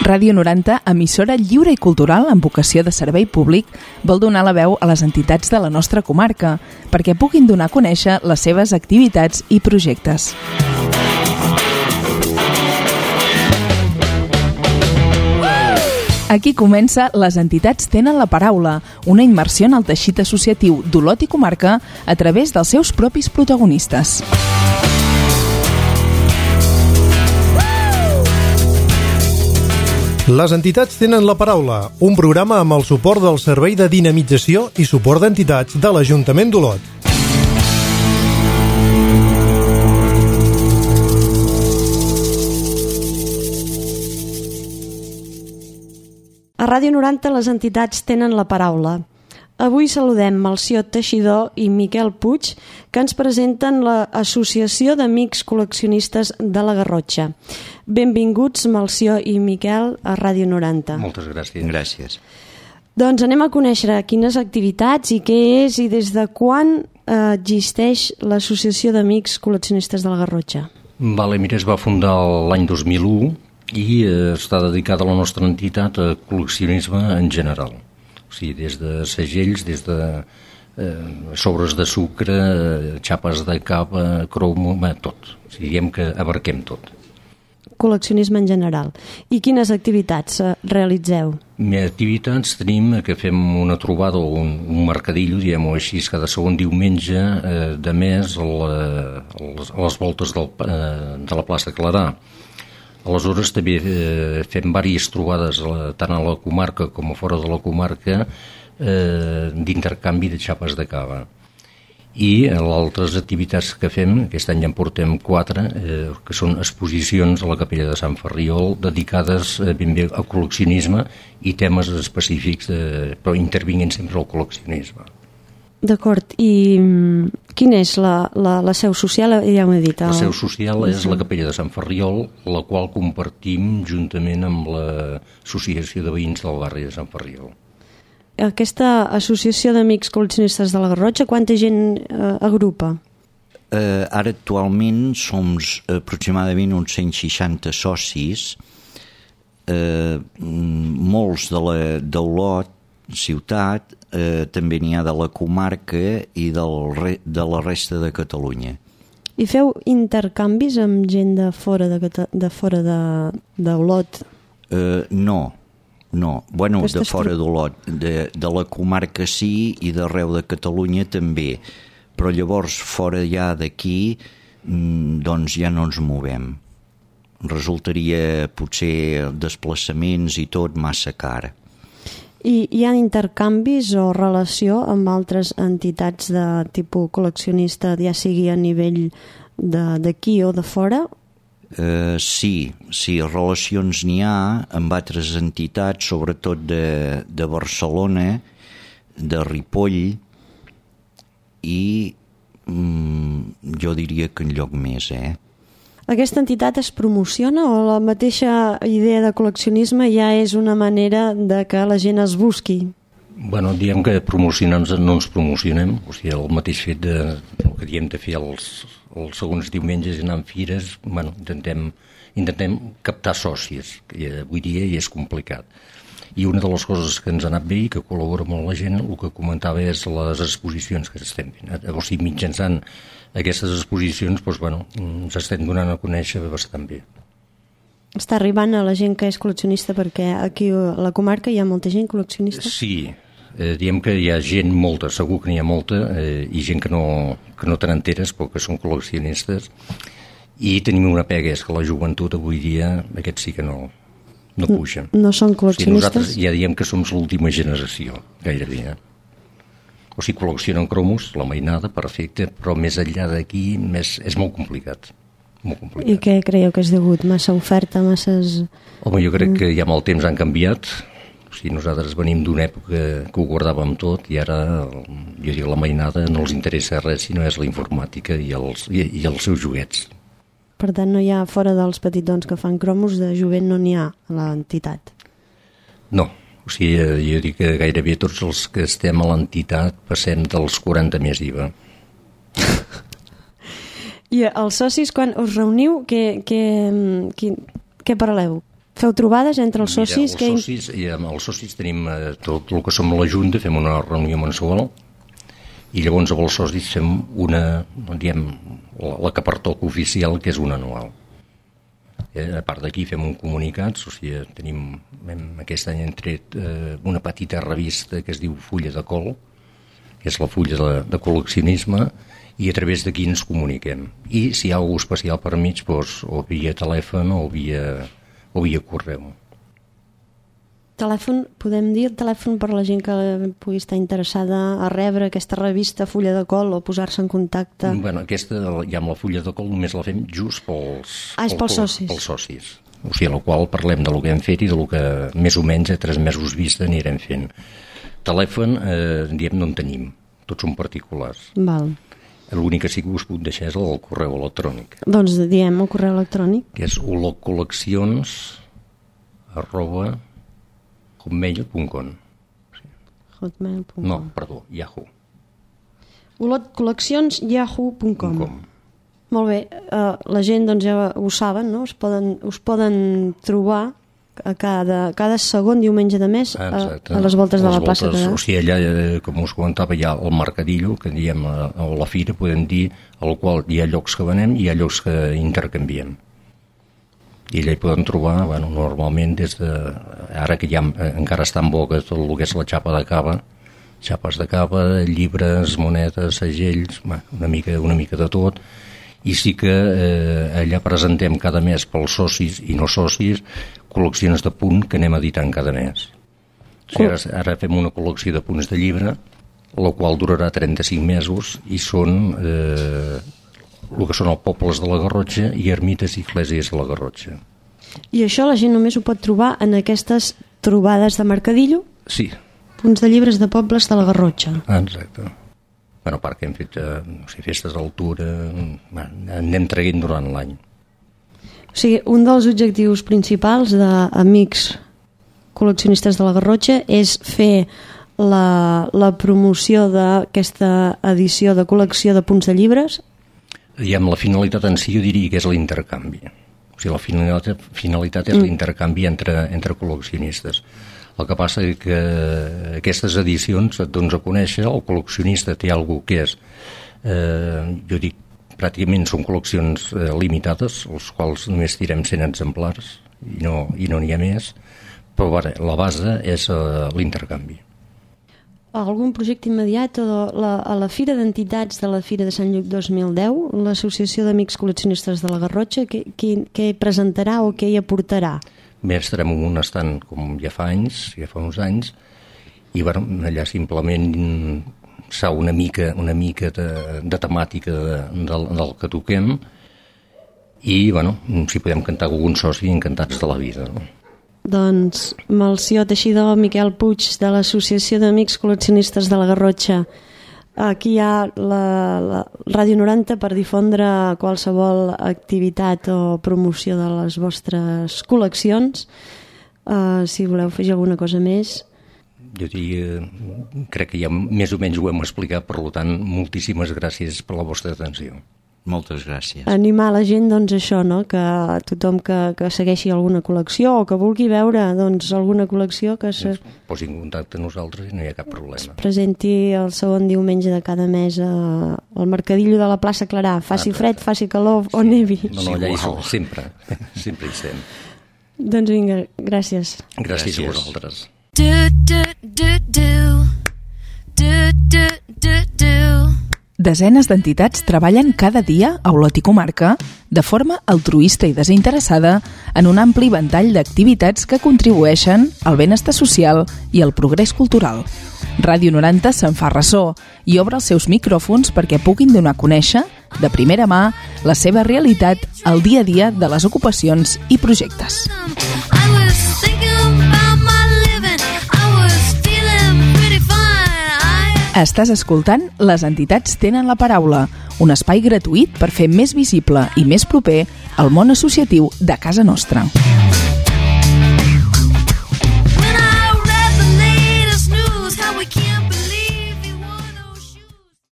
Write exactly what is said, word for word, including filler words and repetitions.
Ràdio noranta, emissora lliure i cultural amb vocació de servei públic, vol donar la veu a les entitats de la nostra comarca perquè puguin donar a conèixer les seves activitats i projectes. Aquí comença Les entitats tenen la paraula, una immersió en el teixit associatiu d'Olot i comarca a través dels seus propis protagonistes. Les entitats tenen la paraula, un programa amb el suport del Servei de Dinamització i Suport d'Entitats de l'Ajuntament d'Olot. A Ràdio noranta les entitats tenen la paraula. Avui saludem Melcior Teixidor i Miquel Puig, que ens presenten l'Associació d'Amics Col·leccionistes de la Garrotxa. Benvinguts, Melcior i Miquel, a Ràdio noranta. Moltes gràcies. Gràcies. Doncs anem a conèixer quines activitats i què és i des de quan eh, existeix l'Associació d'Amics Col·leccionistes de la Garrotxa. Vale, mira, es va fundar l'any dos mil u i eh, està dedicada a la nostra entitat a col·leccionisme en general. O sigui, des de segells, des de eh, sobres de sucre, eh, xapes de cava, cromo, tot. O sigui, diguem que abarquem tot. Col·leccionisme en general. I quines activitats eh, realitzeu? Més activitats tenim que fem una trobada o un, un mercadillo, diguem-ho així, cada segon diumenge eh, de mes a, la, a, les, a les voltes del, eh, de la plaça Clarà. Aleshores també eh, fem diverses trobades la, tant a la comarca com a fora de la comarca eh, d'intercanvi de xapes de cava. I les altres activitats que fem, aquest any ja en portem quatre, eh, que són exposicions a la Capella de Sant Ferriol dedicades eh, ben bé al col·leccionisme i temes específics, eh, però intervinguent sempre al col·leccionisme. D'acord, i quina és la, la, la seu social? Ja m'ho he dit. El... La seu social és la Capella de Sant Ferriol, la qual compartim juntament amb l'Associació de Veïns del barri de Sant Ferriol. Aquesta associació d'amics col·leccionistes de la Garrotxa, quanta gent eh, agrupa? Eh, ara actualment som aproximadament uns cent seixanta socis, eh, molts de l'Olot, ciutat, eh, també n'hi ha de la comarca i del re, de la resta de Catalunya. I feu intercanvis amb gent de fora de, de fora de, d'Olot? Eh, no, no. Bueno, Aquestes de fora d'Olot, de, de la comarca sí i d'arreu de Catalunya també, però llavors fora ja d'aquí doncs ja no ens movem. Resultaria potser desplaçaments i tot massa car. I hi ha intercanvis o relació amb altres entitats de tipus col·leccionista, ja sigui a nivell d'aquí o de fora? Uh, sí, sí, relacions n'hi ha amb altres entitats, sobretot de, de Barcelona, de Ripoll i mm, jo diria que en lloc més, eh? Aquesta entitat es promociona o la mateixa idea de col·leccionisme ja és una manera de que la gent es busqui? Bueno, diem que promocionar-nos no ens promocionem, o sigui, el mateix fet de, el que diem de fer els, els segons diumenges anar en fires, bueno, intentem, intentem captar socis, que avui dia ja és complicat. I una de les coses que ens ha anat bé i que col·labora molt la gent, el que comentava és les exposicions que estem fent. O sigui, mitjançant aquestes exposicions, doncs, bueno, ens estem donant a conèixer bastant bé. Està arribant a la gent que és col·leccionista, perquè aquí a la comarca hi ha molta gent col·leccionista? Sí, eh, diem que hi ha gent molta, segur que n'hi ha molta, eh, i gent que no, que no te n'enteres, però que són col·leccionistes. I tenim una pega, és que la joventut avui dia, aquests sí que no... no pugen. No són col·leccionistes? O sigui, nosaltres ja diem que som l'última generació, gairebé. Eh? O sigui, col·leccionen cromos, la mainada, perfecte, però més enllà d'aquí més, és molt complicat. Molt complicat. I què creieu que és degut? Massa oferta, masses... Home, jo crec que ja amb el temps han canviat. O sigui, nosaltres venim d'una època que ho guardàvem tot i ara, jo dic, la mainada no els interessa res, sinó és la informàtica i els, i, i els seus joguets. Per tant, no hi ha, fora dels petitons que fan cromos, de jovent no n'hi ha a l'entitat? No, o sigui, jo dic que gairebé tots els que estem a l'entitat passem dels quaranta més I V A. I els socis, quan us reuniu, què, què, què, què parleu? Feu trobades entre els socis? Mira, els socis, que... amb els socis tenim eh, tot el que som la Junta, fem una reunió mensual, i llavors amb els socis fem una, diguem, la, la que pertoca oficial, que és una anual. Eh, a part d'aquí fem un comunicat, o sigui, tenim, hem, aquest any hem tret eh, una petita revista que es diu Fulla de Col, que és la fulla de, de col·leccionisme, i a través d'aquí ens comuniquem. I si hi ha alguna especial per mig, doncs, o via telèfon o via, o via correu. Telèfon, podem dir el telèfon per la gent que pugui estar interessada a rebre aquesta revista Fulla de Col o posar-se en contacte? Bueno, aquesta, ja amb la Fulla de Col, només la fem just pels, ah, és pels, pels socis. Pels socis. O sigui, en la qual parlem de lo que hem fet i de lo que més o menys a tres mesos vista anirem fent. Telèfon, eh, diem, no en tenim. Tots són particulars. Val. L'únic que sí que us puc deixar és el correu electrònic. Doncs diem el correu electrònic. Que és olotcol·leccions arroba hotmail punt com. Hotmail punt com. No, perdó, Yahoo. olotcol·leccions yahoo punt com. Molt bé, uh, la gent doncs ja ho saben, no? Us poden, us poden trobar a cada, cada segon diumenge de mes a, a les voltes de la plaça Clarà. O sigui, allà, com us comentava, hi ha el mercadillo, que diem a, a la fira, podem dir, al qual hi ha llocs que venem i hi ha llocs que intercanviem. I allà hi podem trobar, bueno, normalment, des de... Ara que ja encara està en boca tot el que és la xapa de cava, xapes de cava, llibres, monedes, segells, bueno, una mica, una mica de tot, i sí que eh, allà presentem cada mes pels socis i no socis col·leccions de punt que anem editant cada mes. O sigui, ara, ara fem una col·lecció de punts de llibre, la qual durarà trenta-cinc mesos i són eh, el que són els pobles de la Garrotxa i ermites i esglésies de la Garrotxa. I això la gent només ho pot trobar en aquestes trobades de mercadillo? Sí. Punts de llibres de pobles de la Garrotxa. Ah, exacte. Bueno, a part que hem fet eh, no sé, festes d'altura, anem traient durant l'any. O sigui, un dels objectius principals d'Amics Col·leccionistes de la Garrotxa és fer la, la promoció d'aquesta edició de col·lecció de punts de llibres? I amb la finalitat en si jo diria que és l'intercanvi. O sigui, la finalitat, finalitat és mm. l'intercanvi entre, entre col·leccionistes. El que passa és que aquestes edicions et dones a conèixer, el col·leccionista té alguna que és, eh, jo dic, pràcticament són col·leccions eh, limitades, els quals només tirem cent exemplars i no i no n'hi ha més, però bueno, la base és eh, l'intercanvi. Algun projecte immediat o la, a la Fira d'Entitats de la Fira de Sant Lluc dos mil deu, l'Associació d'Amics Col·leccionistes de la Garrotxa, què, què, què presentarà o què hi aportarà? Bé, estarem en un estant com ja fa anys, ja fa uns anys, i bueno, allà simplement s'ha una mica, una mica de, de temàtica de, del, del que toquem i, bueno, si podem cantar algun soci, encantats de la vida. No? Doncs Melcior Teixidor, Miquel Puig, de l'Associació d'Amics Col·leccionistes de la Garrotxa. Aquí hi ha la, la Ràdio noranta per difondre qualsevol activitat o promoció de les vostres col·leccions. Uh, si voleu fer alguna cosa més... Jo diria, crec que ja més o menys ho hem explicat, per tant, moltíssimes gràcies per la vostra atenció. Moltes gràcies. Animar la gent, doncs, això, no? Que tothom que, que segueixi alguna col·lecció o que vulgui veure, doncs, alguna col·lecció que se... es posi en contacte amb nosaltres i no hi ha cap problema. Es presenti el segon diumenge de cada mes a, al mercadillo de la plaça Clarà. Faci ah, fred, faci calor sí. o nevi. No, no, allà hi som, sempre, sempre hi estem. Doncs vinga, gràcies. Gràcies, gràcies. A vosaltres. Do, do, do, do. Do, do, do, do. Desenes d'entitats treballen cada dia a Olot i comarca de forma altruista i desinteressada en un ampli ventall d'activitats que contribueixen al benestar social i al progrés cultural. Ràdio noranta se'n fa ressò i obre els seus micròfons perquè puguin donar a conèixer, de primera mà, la seva realitat al dia a dia de les ocupacions i projectes. Estàs escoltant Les entitats tenen la paraula, un espai gratuït per fer més visible i més proper el món associatiu de casa nostra.